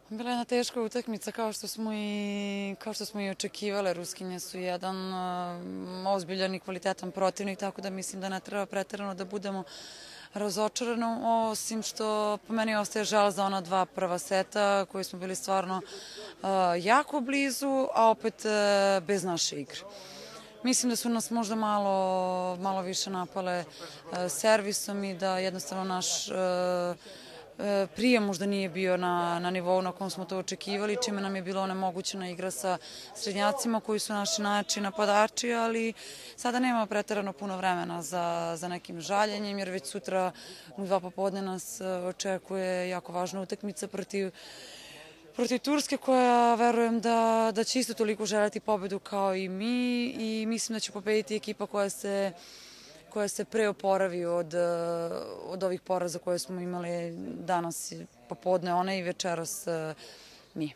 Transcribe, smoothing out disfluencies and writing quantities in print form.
Bila je jedna teška utakmica kao što smo i očekivale. Ruskinje su jedan ozbiljan i kvalitetan protivnik, tako da mislim da ne treba preterano da budemo razočarani, osim što po meni ostaje žal za ona dva prva seta koji smo bili stvarno jako blizu, a opet bez naše igre. Mislim da su nas možda malo više napale servisom i da jednostavno naš prijem možda nije bio na nivou na kom smo to očekivali, čime nam je bilo onemogućena igra sa srednjacima koji su naši najjači napadači, ali sada nema preterano puno vremena za nekim žaljenjem, jer već sutra u 2 popodne nas očekuje jako važna utakmica protiv Turske, koja verujem da će isto toliko želeti pobedu kao i mi, i mislim da će pobediti ekipa koja se pre oporavi od ovih poraza koje smo imali danas popodne, one i večeras mi.